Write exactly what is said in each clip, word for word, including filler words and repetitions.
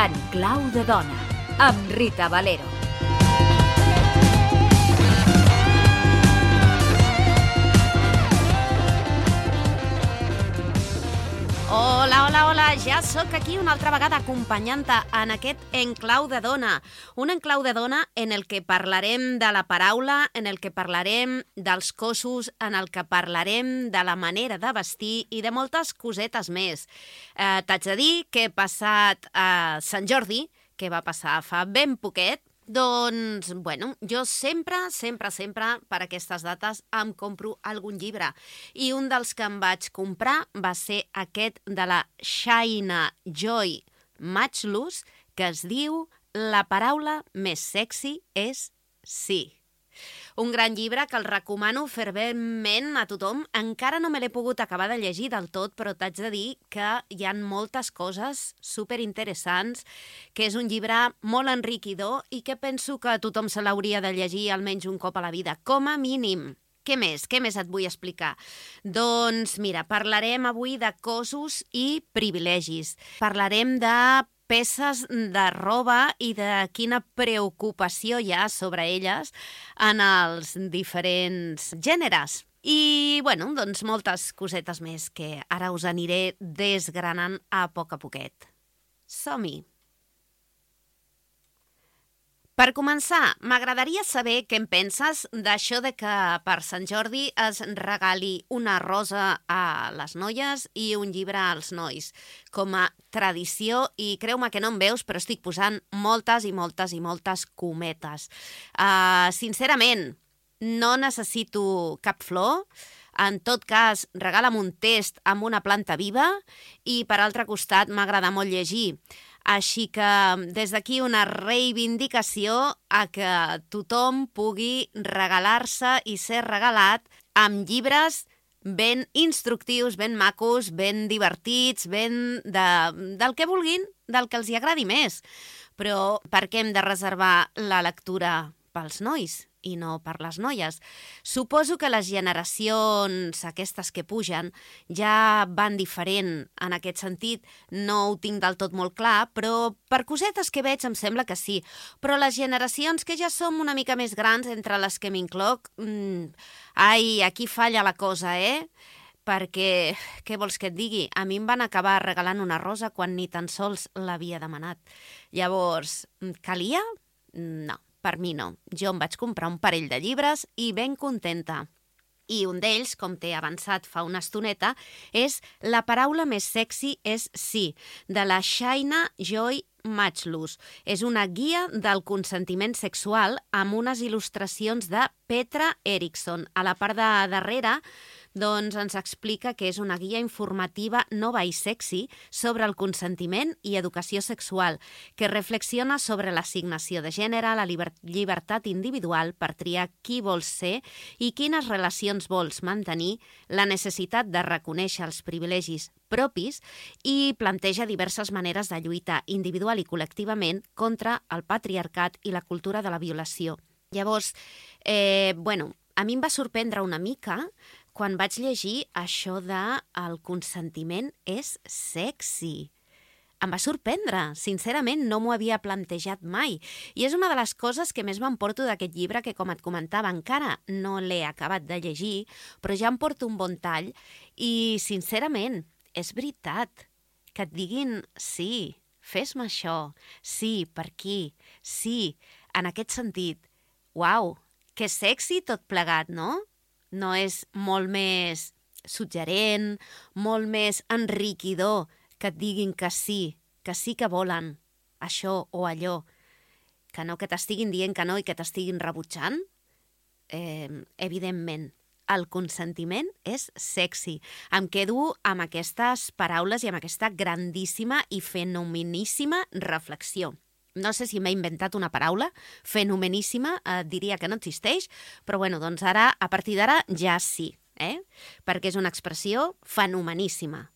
En clau de dona, amb Rita Valero. Hola, hola, hola, ja sóc aquí una altra vegada acompanyant-te en aquest enclau de dona. Un enclau de dona en el que parlarem de la paraula, en el que parlarem dels cossos, en el que parlarem de la manera de vestir i de moltes cosetes més. Eh, T'haig de dir que he passat a Sant Jordi, que va passar fa ben poquet, doncs, bueno, jo sempre, sempre, sempre, per aquestes dates, em compro algun llibre. I un dels que em vaig comprar va ser aquest de la Shaina Joy Matchlus, que es diu La paraula més sexy és sí. Un gran llibre que el recomano ferventment a tothom. Encara no me l'he pogut acabar de llegir del tot, però t'haig de dir que hi ha moltes coses superinteressants, que és un llibre molt enriquidor i que penso que tothom se l'hauria de llegir almenys un cop a la vida, com a mínim. Què més? Què més et vull explicar? Doncs mira, parlarem avui de cossos i privilegis. Parlarem de peces de roba i de quina preocupació hi ha sobre elles en els diferents gèneres. I, bueno, doncs moltes cosetes més que ara us aniré desgranant a poc a poquet. Som-hi! Per començar, m'agradaria saber què en penses d'això de que per Sant Jordi es regali una rosa a les noies i un llibre als nois, com a tradició, i creu-me que no em veus, però estic posant moltes i moltes i moltes cometes. Uh, sincerament, no necessito cap flor. En tot cas, regala'm un test amb una planta viva i, per altre costat, m'agrada molt llegir. Així que des d'aquí una reivindicació a que tothom pugui regalar-se i ser regalat amb llibres ben instructius, ben macos, ben divertits, ben de, del que vulguin, del que els hi agradi més. Però per què hem de reservar la lectura pels nois i no per les noies? Suposo que les generacions aquestes que pugen ja van diferent en aquest sentit. No ho tinc del tot molt clar, però per cosetes que veig em sembla que sí. Però les generacions que ja som una mica més grans, entre les que m'incloc, mmm, ai, aquí falla la cosa, eh? Perquè, què vols que et digui? A mi em van acabar regalant una rosa quan ni tan sols l'havia demanat. Llavors, calia? No. Per mi no. Jo em vaig comprar un parell de llibres i ben contenta. I un d'ells, com t'he avançat fa una estoneta, és La paraula més sexy és sí, de la Shaina Joy Matchlus. És una guia del consentiment sexual amb unes il·lustracions de Petra Eriksson. A la part de darrere, doncs ens explica que és una guia informativa nova i sexy sobre el consentiment i educació sexual, que reflexiona sobre l'assignació de gènere, la llibertat individual per triar qui vols ser i quines relacions vols mantenir, la necessitat de reconèixer els privilegis propis i planteja diverses maneres de lluitar individual i col·lectivament contra el patriarcat i la cultura de la violació. Llavors, eh, bueno, a mi em va sorprendre una mica quan vaig llegir això de el consentiment és sexy. Em va sorprendre, sincerament no m'ho havia plantejat mai. I és una de les coses que més m'emporto d'aquest llibre, que com et comentava encara no l'he acabat de llegir, però ja em porto un bon tall i sincerament és veritat que et diguin sí, fes-me això, sí, per aquí, sí, en aquest sentit. Uau, que sexy tot plegat, no? No és molt més suggerent, molt més enriquidor que et diguin que sí, que sí que volen això o allò, que no que t'estiguin dient que no i que t'estiguin rebutjant? Eh, evidentment, el consentiment és sexy. Em quedo amb aquestes paraules i amb aquesta grandíssima i fenomeníssima reflexió. No sé si m'he inventat una paraula, fenomeníssima, eh, diria que no existeix, però bueno, doncs ara, a partir d'ara, ja sí, eh? Perquè és una expressió fenomeníssima.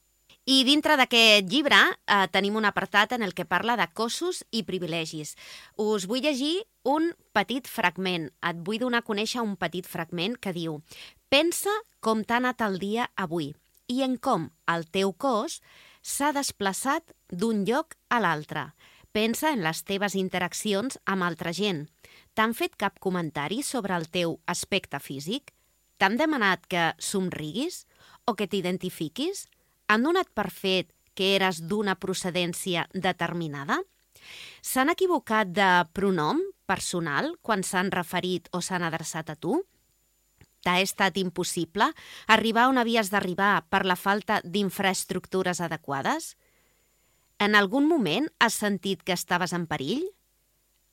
I dintre d'aquest llibre eh, tenim un apartat en el que parla de cossos i privilegis. Us vull llegir un petit fragment. Et vull donar a conèixer un petit fragment que diu: pensa com t'ha anat el dia avui i en com el teu cos s'ha desplaçat d'un lloc a l'altre. Pensa en les teves interaccions amb altra gent. T'han fet cap comentari sobre el teu aspecte físic? T'han demanat que somriguis o que t'identifiquis? Han donat per fet que eres d'una procedència determinada? S'han equivocat de pronom personal quan s'han referit o s'han adreçat a tu? T'ha estat impossible arribar on havies d'arribar per la falta d'infraestructures adequades? En algun moment has sentit que estaves en perill?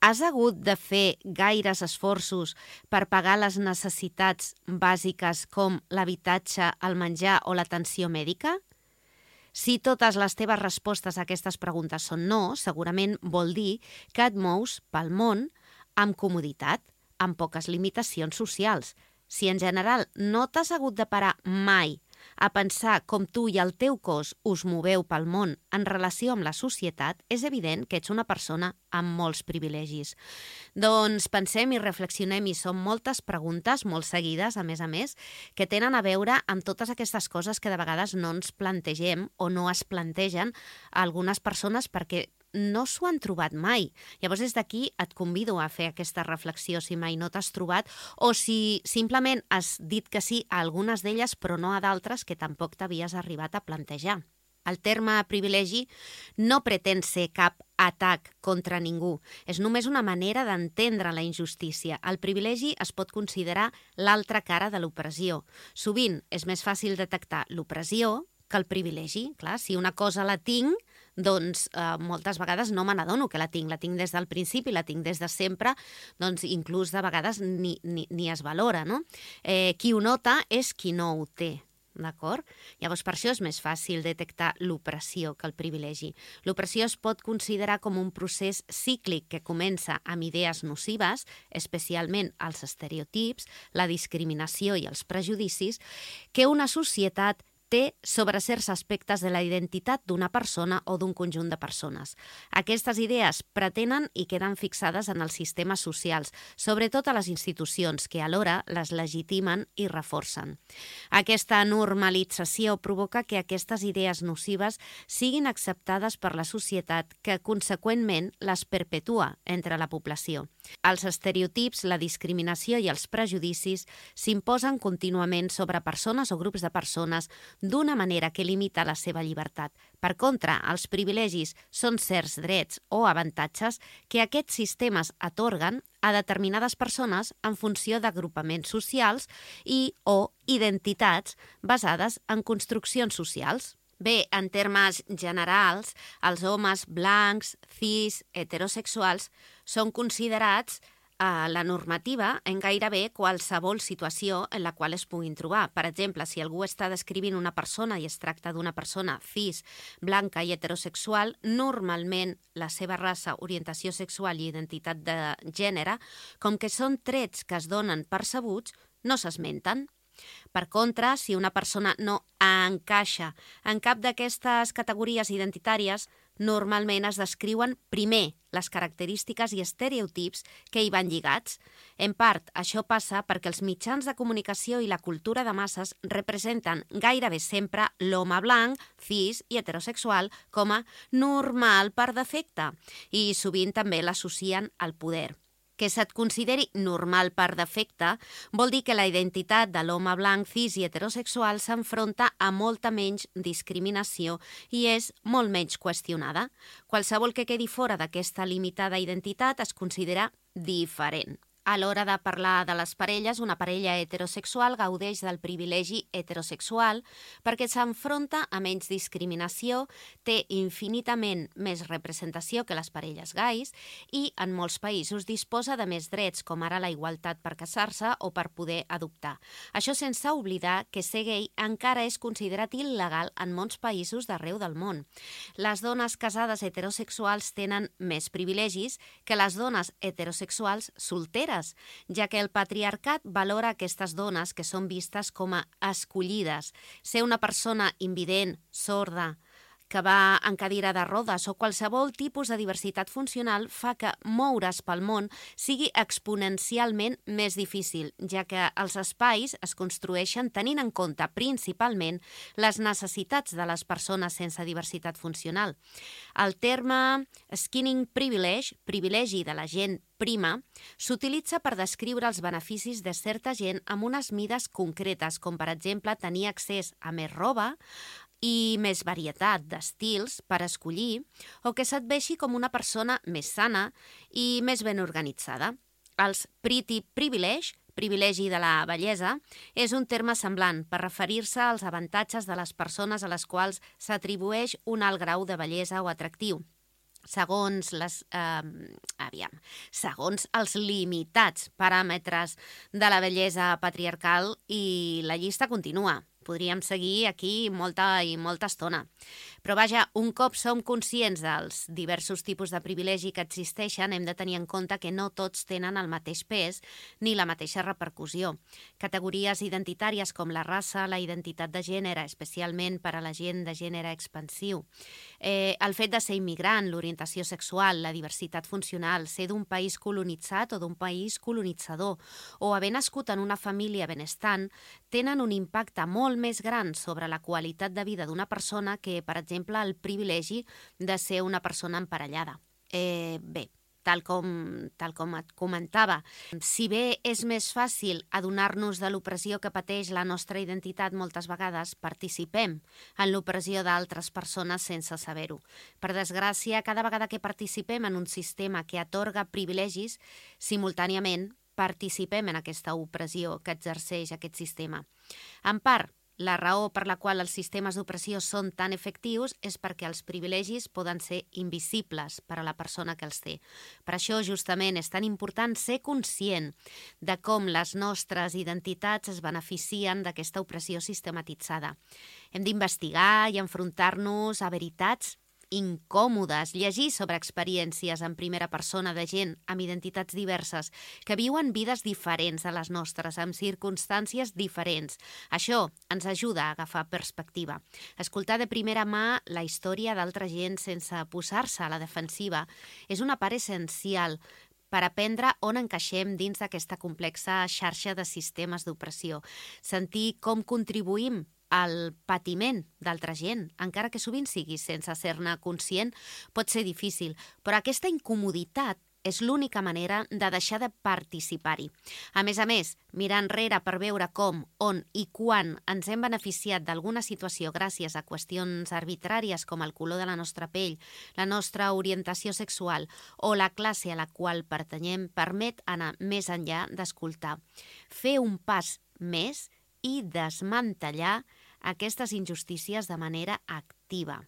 Has hagut de fer gaires esforços per pagar les necessitats bàsiques com l'habitatge, el menjar o l'atenció mèdica? Si totes les teves respostes a aquestes preguntes són no, segurament vol dir que et mous pel món amb comoditat, amb poques limitacions socials. Si en general no t'has hagut de parar mai a pensar com tu i el teu cos us moveu pel món en relació amb la societat, és evident que ets una persona amb molts privilegis. Doncs pensem i reflexionem, i són moltes preguntes, molt seguides, a més a més, que tenen a veure amb totes aquestes coses que de vegades no ens plantegem o no es plantegen a algunes persones perquè no s'ho han trobat mai. Llavors, des d'aquí et convido a fer aquesta reflexió si mai no t'has trobat o si simplement has dit que sí a algunes d'elles però no a d'altres que tampoc t'havies arribat a plantejar. El terme privilegi no pretén ser cap atac contra ningú. És només una manera d'entendre la injustícia. El privilegi es pot considerar l'altra cara de l'opressió. Sovint és més fàcil detectar l'opressió que el privilegi. Clar, si una cosa la tinc, doncs eh, moltes vegades no me n'adono que la tinc. La tinc des del principi, la tinc des de sempre, doncs inclús de vegades ni, ni, ni es valora, no? Eh, qui ho nota és qui no ho té. D'acord? Llavors, per això és més fàcil detectar l'opressió que el privilegi. L'opressió es pot considerar com un procés cíclic que comença amb idees nocives, especialment els estereotips, la discriminació i els prejudicis, que una societat té sobre certs aspectes de la identitat d'una persona o d'un conjunt de persones. Aquestes idees pretenen i queden fixades en els sistemes socials, sobretot a les institucions, que alhora les legitimen i reforcen. Aquesta normalització provoca que aquestes idees nocives siguin acceptades per la societat, que conseqüentment les perpetua entre la població. Els estereotips, la discriminació i els prejudicis s'imposen contínuament sobre persones o grups de persones d'una manera que limita la seva llibertat. Per contra, els privilegis són certs drets o avantatges que aquests sistemes atorguen a determinades persones en funció d'agrupaments socials i o identitats basades en construccions socials. Bé, en termes generals, els homes blancs, cis, heterosexuals són considerats a la normativa en gairebé qualsevol situació en la qual es puguin trobar. Per exemple, si algú està descrivint una persona i es tracta d'una persona cis, blanca i heterosexual, normalment la seva raça, orientació sexual i identitat de gènere, com que són trets que es donen percebuts, no s'esmenten. Per contra, si una persona no encaixa en cap d'aquestes categories identitàries, normalment es descriuen primer les característiques i estereotips que hi van lligats. En part, això passa perquè els mitjans de comunicació i la cultura de masses representen gairebé sempre l'home blanc, cis i heterosexual com a normal per defecte i sovint també l'associen al poder. Que se't consideri normal per defecte vol dir que la identitat de l'home blanc, cis i heterosexual s'enfronta a molta menys discriminació i és molt menys qüestionada. Qualsevol que quedi fora d'aquesta limitada identitat es considera diferent. A l'hora de parlar de les parelles, una parella heterosexual gaudeix del privilegi heterosexual perquè s'enfronta a menys discriminació, té infinitament més representació que les parelles gais i en molts països disposa de més drets, com ara la igualtat per casar-se o per poder adoptar. Això sense oblidar que ser gay encara és considerat il·legal en molts països d'arreu del món. Les dones casades heterosexuals tenen més privilegis que les dones heterosexuals solteres, fronteres, ja que el patriarcat valora aquestes dones que són vistes com a escollides. Ser una persona invident, sorda, que va en cadira de rodes o qualsevol tipus de diversitat funcional fa que moure's pel món sigui exponencialment més difícil, ja que els espais es construeixen tenint en compte principalment les necessitats de les persones sense diversitat funcional. El terme skinning privilege, privilegi de la gent prima, s'utilitza per descriure els beneficis de certa gent amb unes mides concretes, com per exemple tenir accés a més roba, i més varietat d'estils per escollir, o que se't vegi com una persona més sana i més ben organitzada. Els pretty privilege, privilegi de la bellesa, és un terme semblant per referir-se als avantatges de les persones a les quals s'atribueix un alt grau de bellesa o atractiu. Segons, les, eh, aviam, segons els limitats paràmetres de la bellesa patriarcal, i la llista continua. Podríem seguir aquí molta i molta estona. Però vaja, un cop som conscients dels diversos tipus de privilegi que existeixen, hem de tenir en compte que no tots tenen el mateix pes ni la mateixa repercussió. Categories identitàries com la raça, la identitat de gènere, especialment per a la gent de gènere expansiu, eh, el fet de ser immigrant, l'orientació sexual, la diversitat funcional, ser d'un país colonitzat o d'un país colonitzador, o haver nascut en una família benestant, tenen un impacte molt més gran sobre la qualitat de vida d'una persona que, per exemple, el privilegi de ser una persona emparellada. Eh, bé, tal com, tal com et comentava, si bé és més fàcil adonar-nos de l'opressió que pateix la nostra identitat moltes vegades, participem en l'opressió d'altres persones sense saber-ho. Per desgràcia, cada vegada que participem en un sistema que atorga privilegis, simultàniament participem en aquesta opressió que exerceix aquest sistema. En part, la raó per la qual els sistemes d'opressió són tan efectius és perquè els privilegis poden ser invisibles per a la persona que els té. Per això, justament, és tan important ser conscient de com les nostres identitats es beneficien d'aquesta opressió sistematitzada. Hem d'investigar i enfrontar-nos a veritats incòmodes, llegir sobre experiències en primera persona de gent amb identitats diverses que viuen vides diferents a les nostres, amb circumstàncies diferents. Això ens ajuda a agafar perspectiva. Escoltar de primera mà la història d'altra gent sense posar-se a la defensiva és una part essencial per aprendre on encaixem dins d'aquesta complexa xarxa de sistemes d'opressió. Sentir com contribuïm el patiment d'altra gent, encara que sovint sigui sense ser-ne conscient, pot ser difícil, però aquesta incomoditat és l'única manera de deixar de participar-hi. A més a més, mirar enrere per veure com, on i quan ens hem beneficiat d'alguna situació gràcies a qüestions arbitràries com el color de la nostra pell, la nostra orientació sexual o la classe a la qual pertanyem, permet anar més enllà d'escoltar, fer un pas més i desmantellar aquestes injustícies de manera activa.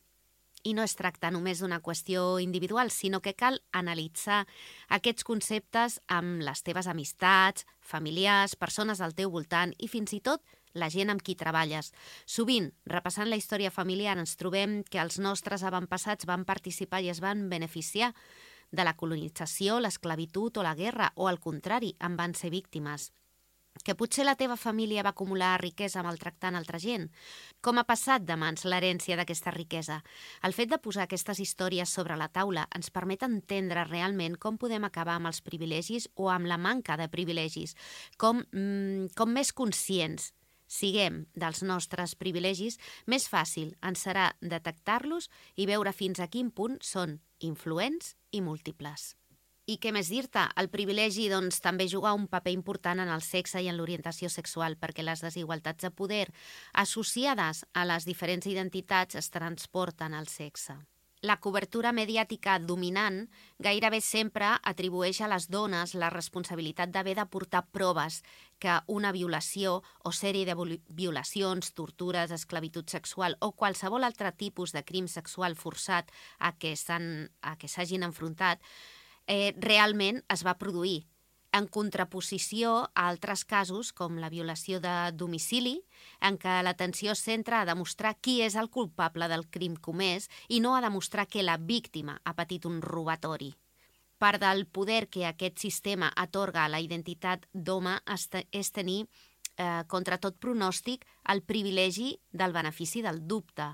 I no es tracta només d'una qüestió individual, sinó que cal analitzar aquests conceptes amb les teves amistats, familiars, persones al teu voltant i fins i tot la gent amb qui treballes. Sovint, repassant la història familiar, ens trobem que els nostres avantpassats van participar i es van beneficiar de la colonització, l'esclavitud o la guerra, o al contrari, en van ser víctimes. Que potser la teva família va acumular riquesa maltractant altra gent. Com ha passat de mans l'herència d'aquesta riquesa? El fet de posar aquestes històries sobre la taula ens permet entendre realment com podem acabar amb els privilegis o amb la manca de privilegis, com, mm, com més conscients siguem dels nostres privilegis, més fàcil ens serà detectar-los i veure fins a quin punt són influents i múltiples. I què més dir-te? El privilegi doncs, també juga un paper important en el sexe i en l'orientació sexual, perquè les desigualtats de poder associades a les diferents identitats es transporten al sexe. La cobertura mediàtica dominant gairebé sempre atribueix a les dones la responsabilitat d'haver de portar proves que una violació o sèrie de violacions, tortures, esclavitud sexual o qualsevol altre tipus de crim sexual forçat a què s'hagin enfrontat Eh, realment es va produir, en contraposició a altres casos com la violació de domicili, en què l'atenció es centra a demostrar qui és el culpable del crim comès i no a demostrar que la víctima ha patit un robatori. Part del poder que aquest sistema atorga a la identitat d'home és tenir, eh, contra tot pronòstic, el privilegi del benefici del dubte.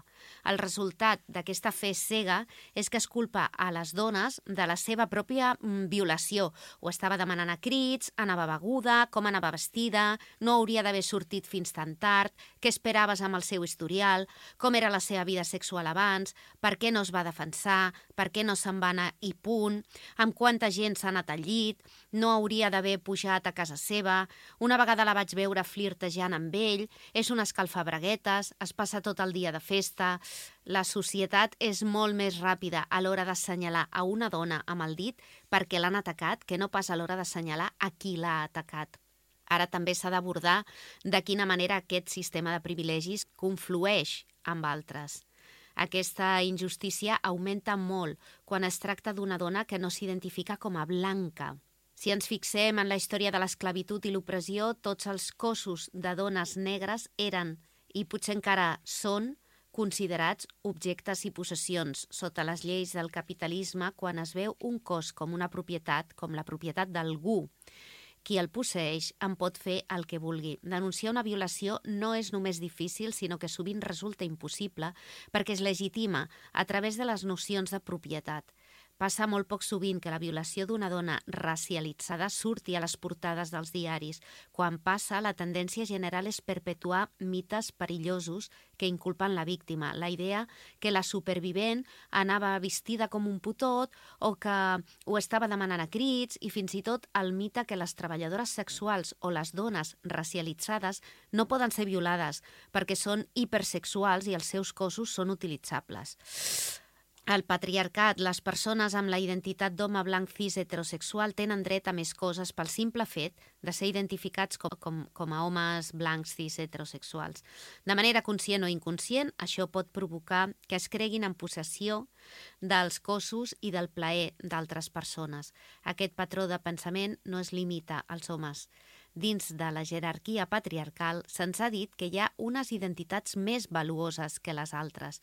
El resultat d'aquesta fe cega és que es culpa a les dones de la seva pròpia violació. Ho estava demanant a crits, anava beguda, com anava vestida, no hauria d'haver sortit fins tan tard, què esperaves amb el seu historial, com era la seva vida sexual abans, per què no es va defensar, per què no se'n va anar i punt, amb quanta gent s'ha anat al llit, no hauria d'haver pujat a casa seva, una vegada la vaig veure flirtejant amb ell, és una escalfabraguetes, es passa tot el dia de festa. La societat és molt més ràpida a l'hora d'assenyalar a una dona amb el dit perquè l'han atacat que no pas a l'hora d'assenyalar a qui l'ha atacat. Ara també s'ha d'abordar de quina manera aquest sistema de privilegis conflueix amb altres. Aquesta injustícia augmenta molt quan es tracta d'una dona que no s'identifica com a blanca. Si ens fixem en la història de l'esclavitud i l'opressió, tots els cossos de dones negres eren, i potser encara són, considerats objectes i possessions sota les lleis del capitalisme quan es veu un cos com una propietat, com la propietat d'algú. Qui el posseix en pot fer el que vulgui. Denunciar una violació no és només difícil, sinó que sovint resulta impossible perquè es legitima a través de les nocions de propietat. Passa molt poc sovint que la violació d'una dona racialitzada surti a les portades dels diaris. Quan passa, la tendència general és perpetuar mites perillosos que inculpen la víctima. La idea que la supervivent anava vestida com un putot o que ho estava demanant a crits i fins i tot el mite que les treballadores sexuals o les dones racialitzades no poden ser violades perquè són hipersexuals i els seus cossos són utilitzables. El patriarcat, les persones amb la identitat d'home blanc cis heterosexual tenen dret a més coses pel simple fet de ser identificats com, com, com a homes blancs cis heterosexuals. De manera conscient o inconscient, això pot provocar que es creguin en possessió dels cossos i del plaer d'altres persones. Aquest patró de pensament no es limita als homes. Dins de la jerarquia patriarcal se'ns ha dit que hi ha unes identitats més valuoses que les altres.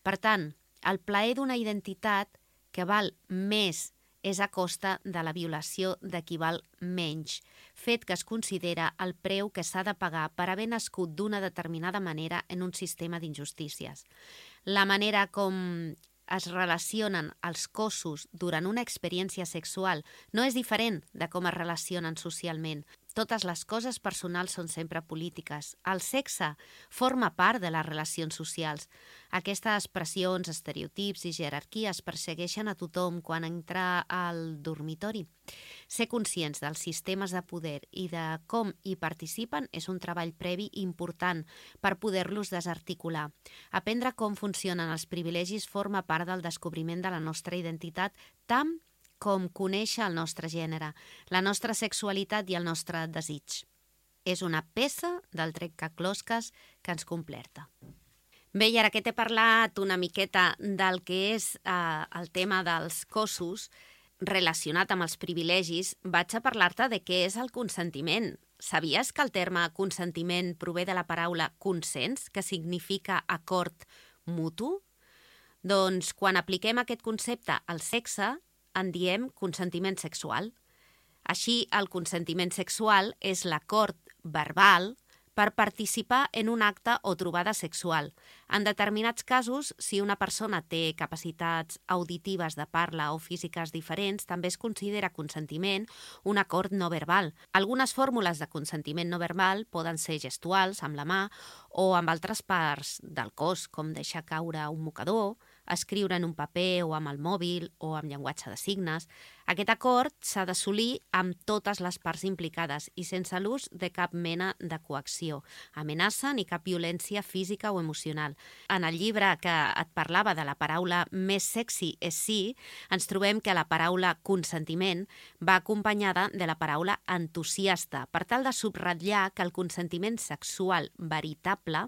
Per tant, el plaer d'una identitat que val més és a costa de la violació de qui val menys, fet que es considera el preu que s'ha de pagar per haver nascut d'una determinada manera en un sistema d'injustícies. La manera com es relacionen els cossos durant una experiència sexual no és diferent de com es relacionen socialment. Totes les coses personals són sempre polítiques. El sexe forma part de les relacions socials. Aquestes pressions, estereotips i jerarquies persegueixen a tothom quan entra al dormitori. Ser conscients dels sistemes de poder i de com hi participen és un treball previ important per poder-los desarticular. Aprendre com funcionen els privilegis forma part del descobriment de la nostra identitat tant com conèixer el nostre gènere, la nostra sexualitat i el nostre desig. És una peça del trencaclosques que ens completa. Bé, i ara que t'he parlat una miqueta del que és eh, el tema dels cossos relacionat amb els privilegis, vaig a parlar-te de què és el consentiment. Sabies que el terme consentiment prové de la paraula consens, que significa acord mutu? Doncs quan apliquem aquest concepte al sexe, en diem consentiment sexual. Així, el consentiment sexual és l'acord verbal per participar en un acte o trobada sexual. En determinats casos, si una persona té capacitats auditives de parla o físiques diferents, també es considera consentiment un acord no verbal. Algunes fórmules de consentiment no verbal poden ser gestuals, amb la mà, o amb altres parts del cos, com deixar caure un mocador, escriure en un paper o amb el mòbil o amb llenguatge de signes. Aquest acord s'ha d'assolir amb totes les parts implicades i sense l'ús de cap mena de coacció, amenaça ni cap violència física o emocional. En el llibre que et parlava de la paraula més sexy és sí, ens trobem que la paraula consentiment va acompanyada de la paraula entusiasta, per tal de subratllar que el consentiment sexual veritable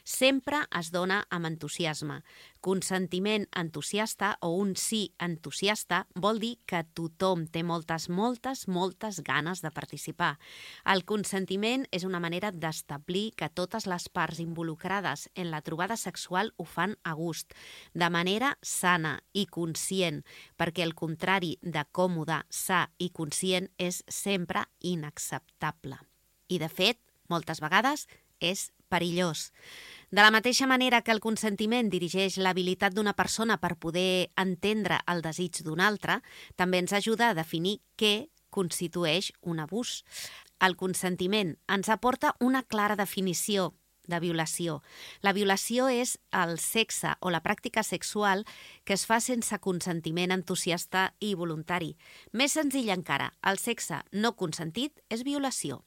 sempre es dona amb entusiasme. Consentiment entusiasta o un sí entusiasta vol dir que tothom té moltes, moltes, moltes ganes de participar. El consentiment és una manera d'establir que totes les parts involucrades en la trobada sexual ho fan a gust, de manera sana i conscient, perquè el contrari de còmode, sa i conscient és sempre inacceptable. I, de fet, moltes vegades és perillós. De la mateixa manera que el consentiment dirigeix l'habilitat d'una persona per poder entendre el desig d'una altra, també ens ajuda a definir què constitueix un abús. El consentiment ens aporta una clara definició de violació. La violació és el sexe o la pràctica sexual que es fa sense consentiment entusiasta i voluntari. Més senzill encara, el sexe no consentit és violació.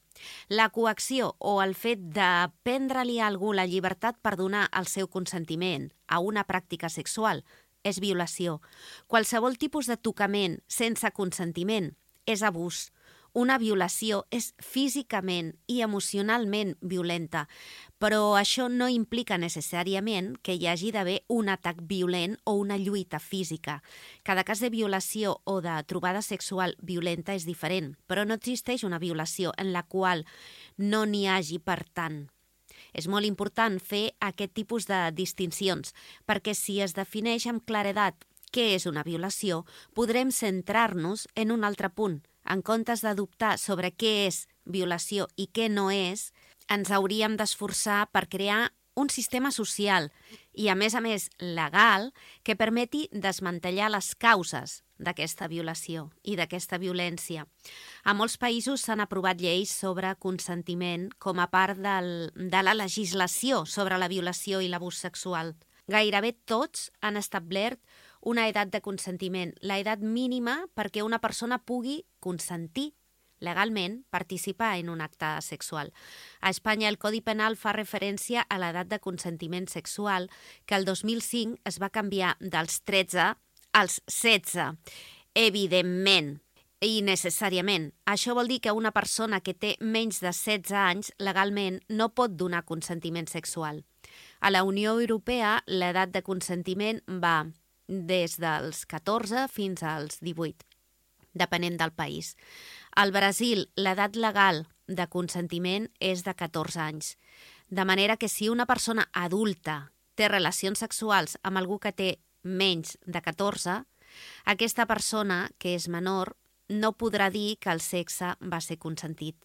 La coacció o el fet de prendre-li a algú la llibertat per donar el seu consentiment a una pràctica sexual és violació. Qualsevol tipus de tocament sense consentiment és abús. Una violació és físicament i emocionalment violenta, però això no implica necessàriament que hi hagi d'haver un atac violent o una lluita física. Cada cas de violació o de trobada sexual violenta és diferent, però no existeix una violació en la qual no n'hi hagi per tant. És molt important fer aquest tipus de distincions, perquè si es defineix amb claredat què és una violació, podrem centrar-nos en un altre punt. En comptes de dubtar sobre què és violació i què no és, ens hauríem d'esforçar per crear un sistema social i, a més a més, legal, que permeti desmantellar les causes d'aquesta violació i d'aquesta violència. A molts països s'han aprovat lleis sobre consentiment com a part del, de la legislació sobre la violació i l'abús sexual. Gairebé tots han establert una edat de consentiment, la edat mínima perquè una persona pugui consentir legalment participar en un acte sexual. A Espanya el Codi Penal fa referència a l'edat de consentiment sexual, que el dos mil cinc es va canviar dels tretze als setze. Evidentment i necessàriament. Això vol dir que una persona que té menys de setze anys legalment no pot donar consentiment sexual. A la Unió Europea l'edat de consentiment va des dels catorze fins als divuit, depenent del país. Al Brasil, l'edat legal de consentiment és de catorze anys, de manera que si una persona adulta té relacions sexuals amb algú que té menys de catorze, aquesta persona, que és menor, no podrà dir que el sexe va ser consentit.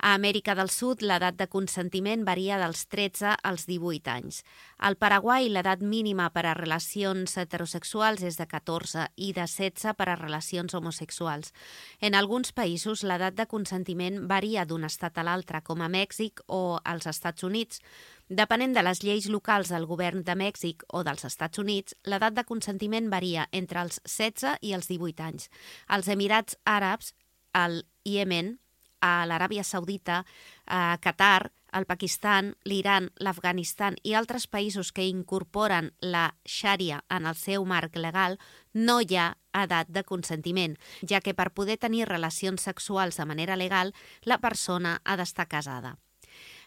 A Amèrica del Sud, l'edat de consentiment varia dels tretze als divuit anys. Al Paraguai, l'edat mínima per a relacions heterosexuals és de catorze i de setze per a relacions homosexuals. En alguns països, l'edat de consentiment varia d'un estat a l'altre, com a Mèxic o als Estats Units. Depenent de les lleis locals del govern de Mèxic o dels Estats Units, l'edat de consentiment varia entre els setze i els divuit anys. Als Emirats Àrabs, al Iemen, a l'Aràbia Saudita, a Qatar, el Pakistan, l'Iran, l'Afganistan i altres països que incorporen la xària en el seu marc legal, no hi ha edat de consentiment, ja que per poder tenir relacions sexuals de manera legal, la persona ha d'estar casada.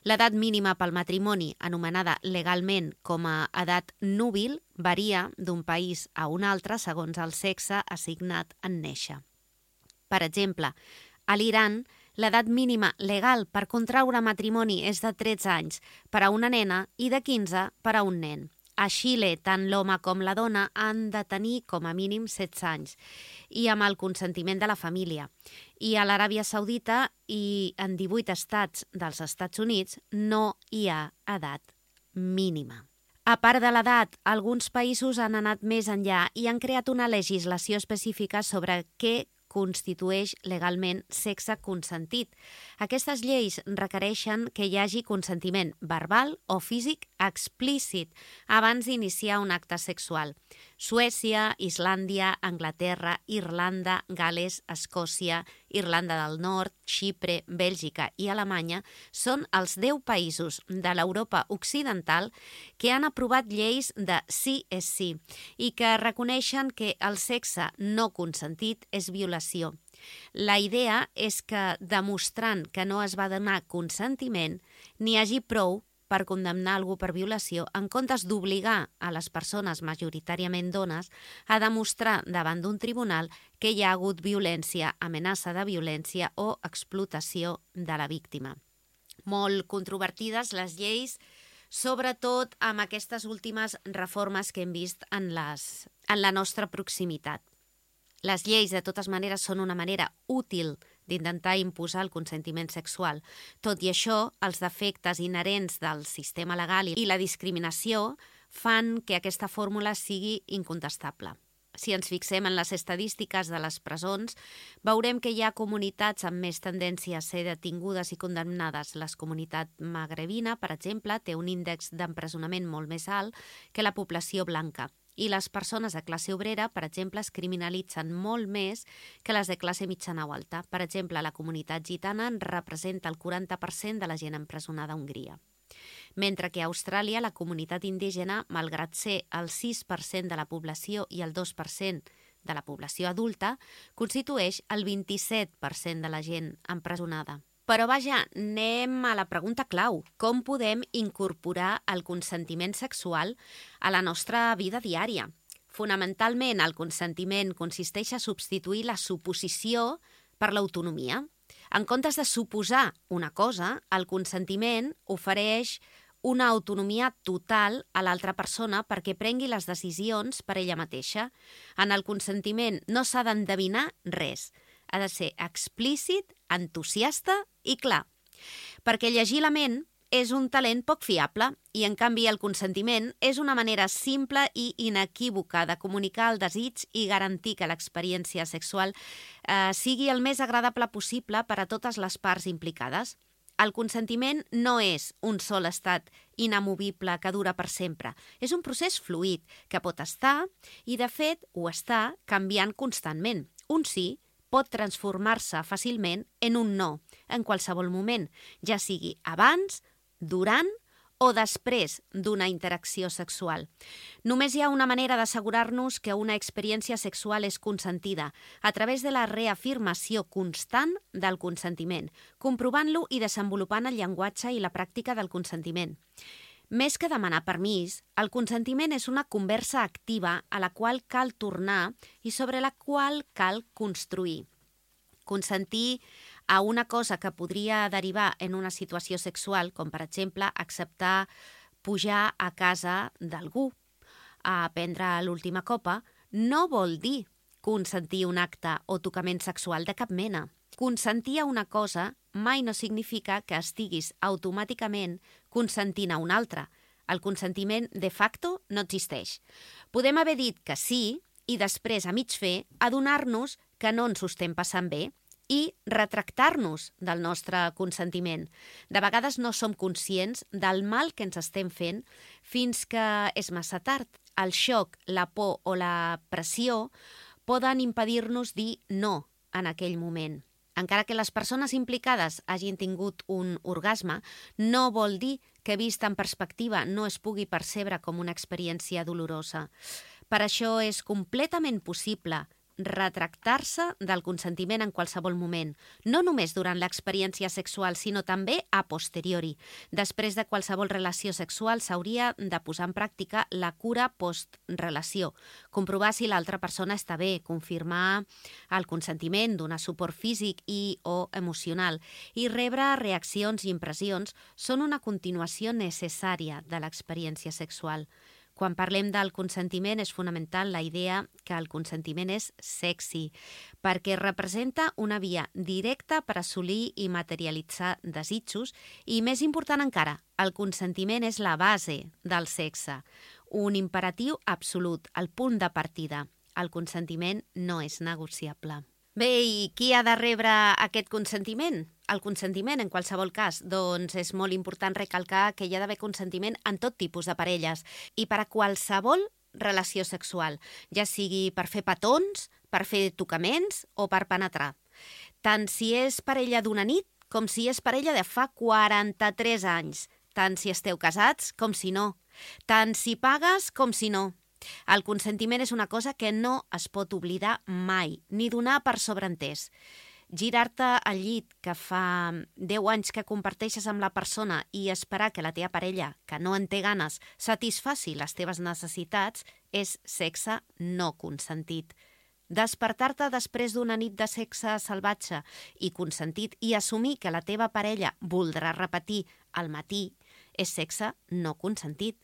L'edat mínima pel matrimoni, anomenada legalment com a edat núbil, varia d'un país a un altre segons el sexe assignat en néixer. Per exemple, a l'Iran, l'edat mínima legal per contraure matrimoni és de tretze anys per a una nena i de quinze per a un nen. A Xile, tant l'home com la dona han de tenir com a mínim setze anys i amb el consentiment de la família. I a l'Aràbia Saudita i en divuit estats dels Estats Units no hi ha edat mínima. A part de l'edat, alguns països han anat més enllà i han creat una legislació específica sobre què constitueix legalment sexe consentit. Aquestes lleis requereixen que hi hagi consentiment verbal o físic explícit abans d'iniciar un acte sexual. Suècia, Islàndia, Anglaterra, Irlanda, Gales, Escòcia, Irlanda del Nord, Xipre, Bèlgica i Alemanya són els deu països de l'Europa occidental que han aprovat lleis de sí és sí i que reconeixen que el sexe no consentit és violació. La idea és que, demostrant que no es va donar consentiment, n'hi hagi prou per condemnar algú per violació, en comptes d'obligar a les persones, majoritàriament dones, a demostrar davant d'un tribunal que hi ha hagut violència, amenaça de violència o explotació de la víctima. Molt controvertides les lleis, sobretot amb aquestes últimes reformes que hem vist en, les, en la nostra proximitat. Les lleis, de totes maneres, són una manera útil d'intentar imposar el consentiment sexual. Tot i això, els defectes inherents del sistema legal i la discriminació fan que aquesta fórmula sigui incontestable. Si ens fixem en les estadístiques de les presons, veurem que hi ha comunitats amb més tendència a ser detingudes i condemnades. La comunitat magrebina, per exemple, té un índex d'empresonament molt més alt que la població blanca. I les persones de classe obrera, per exemple, es criminalitzen molt més que les de classe mitjana o alta. Per exemple, la comunitat gitana representa el quaranta per cent de la gent empresonada a Hongria. Mentre que a Austràlia la comunitat indígena, malgrat ser el sis per cent de la població i el dos per cent de la població adulta, constitueix el vint-i-set per cent de la gent empresonada. Però vaja, anem a la pregunta clau. Com podem incorporar el consentiment sexual a la nostra vida diària? Fonamentalment, el consentiment consisteix a substituir la suposició per l'autonomia. En comptes de suposar una cosa, el consentiment ofereix una autonomia total a l'altra persona perquè prengui les decisions per ella mateixa. En el consentiment no s'ha d'endevinar res. Ha de ser explícit, entusiasta i clar. Perquè llegir la ment és un talent poc fiable i, en canvi, el consentiment és una manera simple i inequívoca de comunicar el desig i garantir que l'experiència sexual eh, sigui el més agradable possible per a totes les parts implicades. El consentiment no és un sol estat inamovible que dura per sempre. És un procés fluid que pot estar i, de fet, ho està canviant constantment. Un sí pot transformar-se fàcilment en un no, en qualsevol moment, ja sigui abans, durant o després d'una interacció sexual. Només hi ha una manera d'assegurar-nos que una experiència sexual és consentida, a través de la reafirmació constant del consentiment, comprovant-lo i desenvolupant el llenguatge i la pràctica del consentiment. Més que demanar permís, el consentiment és una conversa activa a la qual cal tornar i sobre la qual cal construir. Consentir a una cosa que podria derivar en una situació sexual, com per exemple acceptar pujar a casa d'algú a prendre l'última copa, no vol dir consentir un acte o tocament sexual de cap mena. Consentir a una cosa mai no significa que estiguis automàticament consentint a una altra. El consentiment de facto no existeix. Podem haver dit que sí i després, a mig fer, adonar-nos que no ens ho estem passant bé i retractar-nos del nostre consentiment. De vegades no som conscients del mal que ens estem fent fins que és massa tard. El xoc, la por o la pressió poden impedir-nos dir no en aquell moment. Encara que les persones implicades hagin tingut un orgasme, no vol dir que, vist en perspectiva, no es pugui percebre com una experiència dolorosa. Per això és completament possible retractar-se del consentiment en qualsevol moment, no només durant l'experiència sexual, sinó també a posteriori. Després de qualsevol relació sexual s'hauria de posar en pràctica la cura post-relació, comprovar si l'altra persona està bé, confirmar el consentiment, donar suport físic i o emocional i rebre reaccions i impressions són una continuació necessària de l'experiència sexual. Quan parlem del consentiment és fonamental la idea que el consentiment és sexy, perquè representa una via directa per assolir i materialitzar desitjos i, més important encara, el consentiment és la base del sexe, un imperatiu absolut, el punt de partida. El consentiment no és negociable. Bé, i qui ha de rebre aquest consentiment? El consentiment, en qualsevol cas, doncs és molt important recalcar que hi ha d'haver consentiment en tot tipus de parelles i per a qualsevol relació sexual, ja sigui per fer petons, per fer tocaments o per penetrar. Tant si és parella d'una nit com si és parella de fa quaranta-tres anys, tant si esteu casats com si no, tant si pagues com si no. El consentiment és una cosa que no es pot oblidar mai, ni donar per sobreentès. Girar-te al llit que fa deu anys que comparteixes amb la persona i esperar que la teva parella, que no en té ganes, satisfaci les teves necessitats és sexe no consentit. Despertar-te després d'una nit de sexe salvatge i consentit i assumir que la teva parella voldrà repetir al matí és sexe no consentit.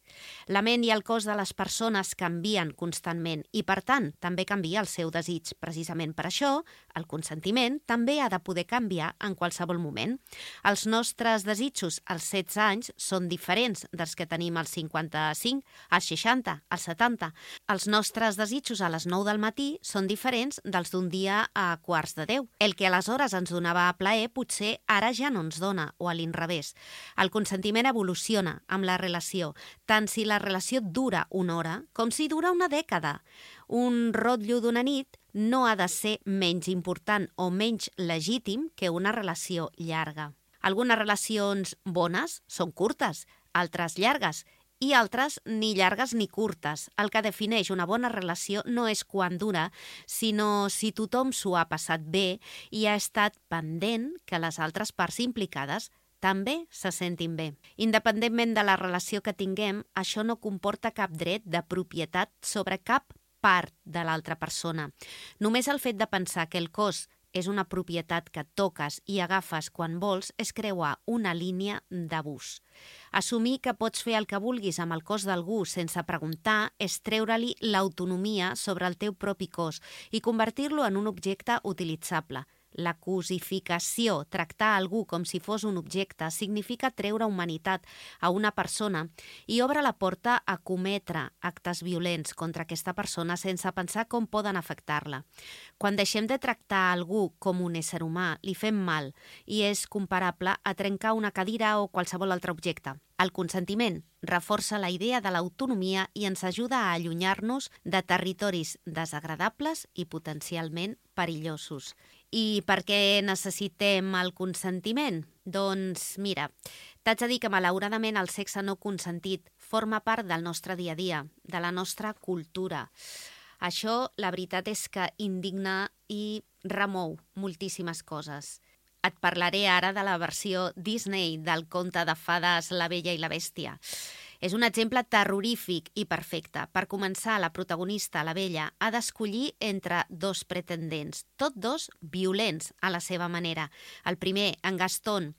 La ment i el cos de les persones canvien constantment i, per tant, també canvia el seu desig. Precisament per això, el consentiment també ha de poder canviar en qualsevol moment. Els nostres desitjos als setze anys són diferents dels que tenim als cinquanta-cinc, als seixanta, als setanta. Els nostres desitjos a les nou del matí són diferents dels d'un dia a quarts de deu. El que aleshores ens donava plaer potser ara ja no ens dona, o a l'inrevés. El consentiment evoluciona amb la relació, tant si la relació dura una hora com si dura una dècada. Un rotllo d'una nit no ha de ser menys important o menys legítim que una relació llarga. Algunes relacions bones són curtes, altres llargues, i altres ni llargues ni curtes. El que defineix una bona relació no és quan dura, sinó si tothom s'ho ha passat bé i ha estat pendent que les altres parts implicades també se sentin bé. Independentment de la relació que tinguem, això no comporta cap dret de propietat sobre cap part de l'altra persona. Només el fet de pensar que el cos és una propietat que toques i agafes quan vols és creuar una línia d'abús. Assumir que pots fer el que vulguis amb el cos d'algú sense preguntar és treure-li l'autonomia sobre el teu propi cos i convertir-lo en un objecte utilitzable. La cosificació, tractar algú com si fos un objecte, significa treure humanitat a una persona i obre la porta a cometre actes violents contra aquesta persona sense pensar com poden afectar-la. Quan deixem de tractar algú com un ésser humà, li fem mal i és comparable a trencar una cadira o qualsevol altre objecte. El consentiment reforça la idea de l'autonomia i ens ajuda a allunyar-nos de territoris desagradables i potencialment perillosos. I per què necessitem el consentiment? Doncs mira, t'haig de dir que malauradament el sexe no consentit forma part del nostre dia a dia, de la nostra cultura. Això, la veritat és que indigna i remou moltíssimes coses. Et parlaré ara de la versió Disney del conte de fades La Bella i la Bèstia. És un exemple terrorífic i perfecte. Per començar, la protagonista, la Bella, ha d'escollir entre dos pretendents, tots dos violents a la seva manera. El primer, en Gaston,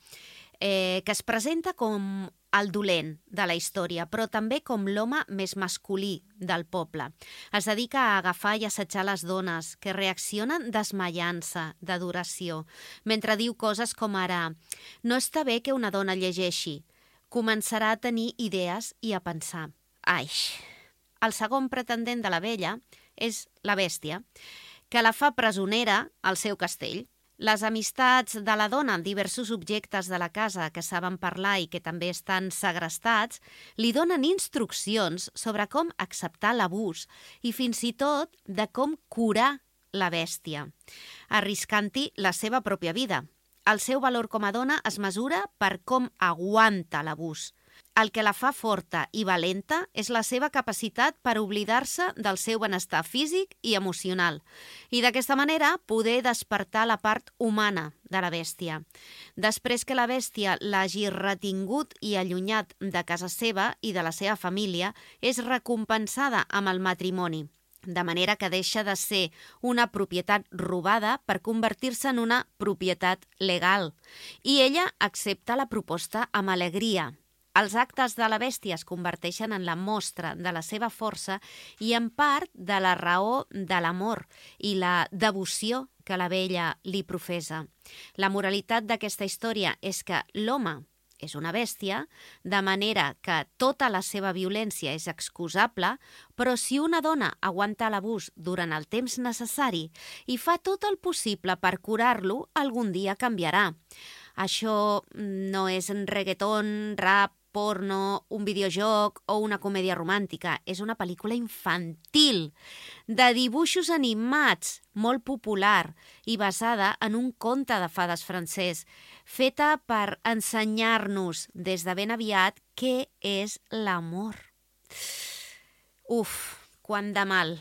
eh, que es presenta com el dolent de la història, però també com l'home més masculí del poble. Es dedica a agafar i assetjar les dones, que reaccionen desmaiant-se d'adoració, mentre diu coses com ara «No està bé que una dona llegeixi», començarà a tenir idees i a pensar. Ai! El segon pretendent de la Bella és la Bèstia, que la fa presonera al seu castell. Les amistats de la dona en diversos objectes de la casa que saben parlar i que també estan segrestats li donen instruccions sobre com acceptar l'abús i fins i tot de com curar la bèstia, arriscant-hi la seva pròpia vida. El seu valor com a dona es mesura per com aguanta l'abús. El que la fa forta i valenta és la seva capacitat per oblidar-se del seu benestar físic i emocional i d'aquesta manera poder despertar la part humana de la bèstia. Després que la bèstia l'hagi retingut i allunyat de casa seva i de la seva família, és recompensada amb el matrimoni, de manera que deixa de ser una propietat robada per convertir-se en una propietat legal. I ella accepta la proposta amb alegria. Els actes de la bèstia es converteixen en la mostra de la seva força i en part de la raó de l'amor i la devoció que la Bella li professa. La moralitat d'aquesta història és que l'home és una bèstia, de manera que tota la seva violència és excusable, però si una dona aguanta l'abús durant el temps necessari i fa tot el possible per curar-lo, algun dia canviarà. Això no és un reggaeton, rap, porno, un videojoc o una comèdia romàntica. És una pel·lícula infantil, de dibuixos animats, molt popular i basada en un conte de fades francès, feta per ensenyar-nos des de ben aviat què és l'amor. Uf, quant de mal.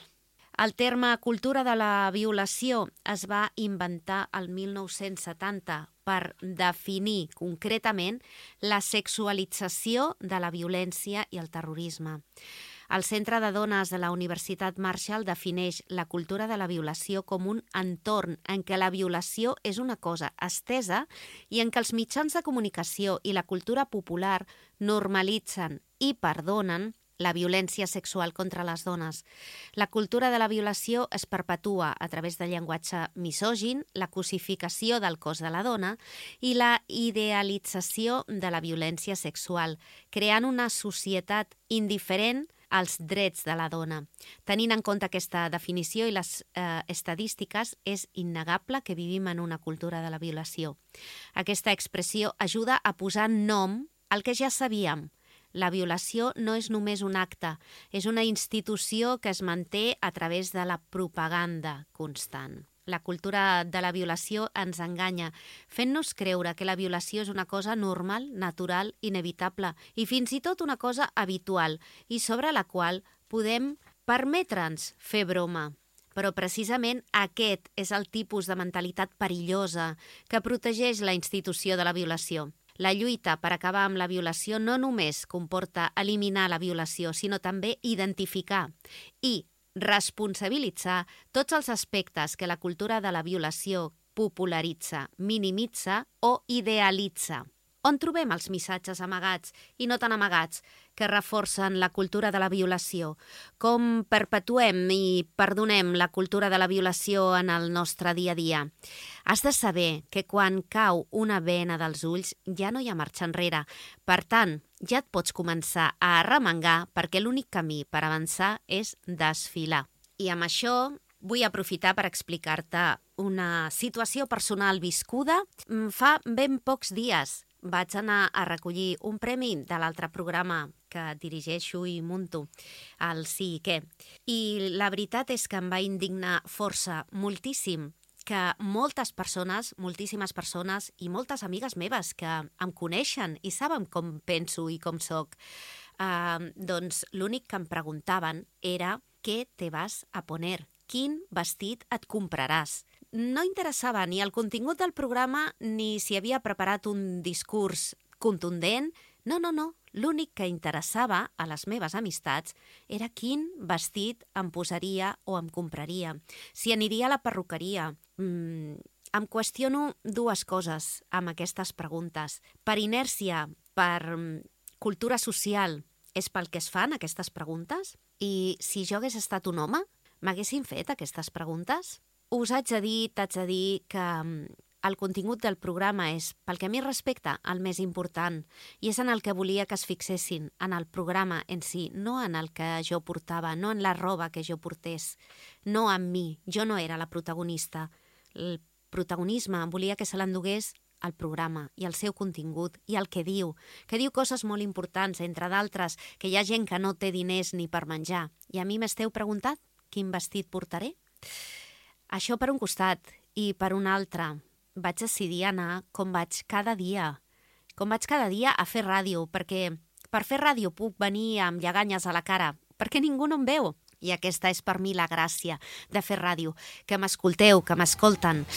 El terme cultura de la violació es va inventar el mil nou-cents setanta per definir concretament la sexualització de la violència i el terrorisme. El Centre de Dones de la Universitat Marshall defineix la cultura de la violació com un entorn en què la violació és una cosa estesa i en què els mitjans de comunicació i la cultura popular normalitzen i perdonen la violència sexual contra les dones. La cultura de la violació es perpetua a través del llenguatge misògin, la cosificació del cos de la dona i la idealització de la violència sexual, creant una societat indiferent als drets de la dona. Tenint en compte aquesta definició i les eh, estadístiques, és innegable que vivim en una cultura de la violació. Aquesta expressió ajuda a posar nom al que ja sabíem. La violació no és només un acte, és una institució que es manté a través de la propaganda constant. La cultura de la violació ens enganya, fent-nos creure que la violació és una cosa normal, natural, inevitable i fins i tot una cosa habitual i sobre la qual podem permetre'ns fer broma. Però precisament aquest és el tipus de mentalitat perillosa que protegeix la institució de la violació. La lluita per acabar amb la violació no només comporta eliminar la violació, sinó també identificar i responsabilitzar tots els aspectes que la cultura de la violació popularitza, minimitza o idealitza. On trobem els missatges amagats i no tan amagats que reforcen la cultura de la violació? Com perpetuem i perdonem la cultura de la violació en el nostre dia a dia? Has de saber que quan cau una vena dels ulls ja no hi ha marxa enrere. Per tant, ja et pots començar a arremangar perquè l'únic camí per avançar és desfilar. I amb això vull aprofitar per explicar-te una situació personal viscuda fa ben pocs dies. Vaig anar a recollir un premi de l'altre programa que dirigeixo i munto, el Sí i Què. I la veritat és que em va indignar força, moltíssim, que moltes persones, moltíssimes persones i moltes amigues meves que em coneixen i saben com penso i com soc, eh, doncs l'únic que em preguntaven era què te vas a poner, quin vestit et compraràs. No interessava ni el contingut del programa ni si havia preparat un discurs contundent. No, no, no. L'únic que interessava a les meves amistats era quin vestit em posaria o em compraria. Si aniria a la perruqueria. Mm, em qüestiono dues coses amb aquestes preguntes. Per inèrcia, per cultura social, és pel que es fan aquestes preguntes? I si jo hagués estat un home, m'haguessin fet aquestes preguntes? Us haig de dir, t'haig de dir que el contingut del programa és, pel que a mi respecta, el més important i és en el que volia que es fixessin, en el programa en si, no en el que jo portava, no en la roba que jo portés, no en mi. Jo no era la protagonista. El protagonisme volia que se l'endugués el programa i el seu contingut i el que diu, que diu coses molt importants, entre d'altres, que hi ha gent que no té diners ni per menjar. I a mi m'esteu preguntat quin vestit portaré? Això per un costat, i per un altre, vaig decidir anar com vaig cada dia, com vaig cada dia a fer ràdio, perquè per fer ràdio puc venir amb lleganyes a la cara, perquè ningú no em veu. I aquesta és per mi la gràcia de fer ràdio, que m'escolteu, que m'escolten,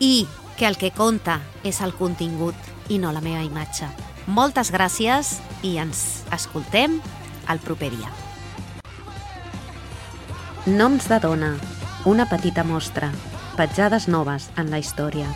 i que el que compta és el contingut i no la meva imatge. Moltes gràcies i ens escoltem el proper dia. Noms de dona. Una petita mostra, petjades noves en la història.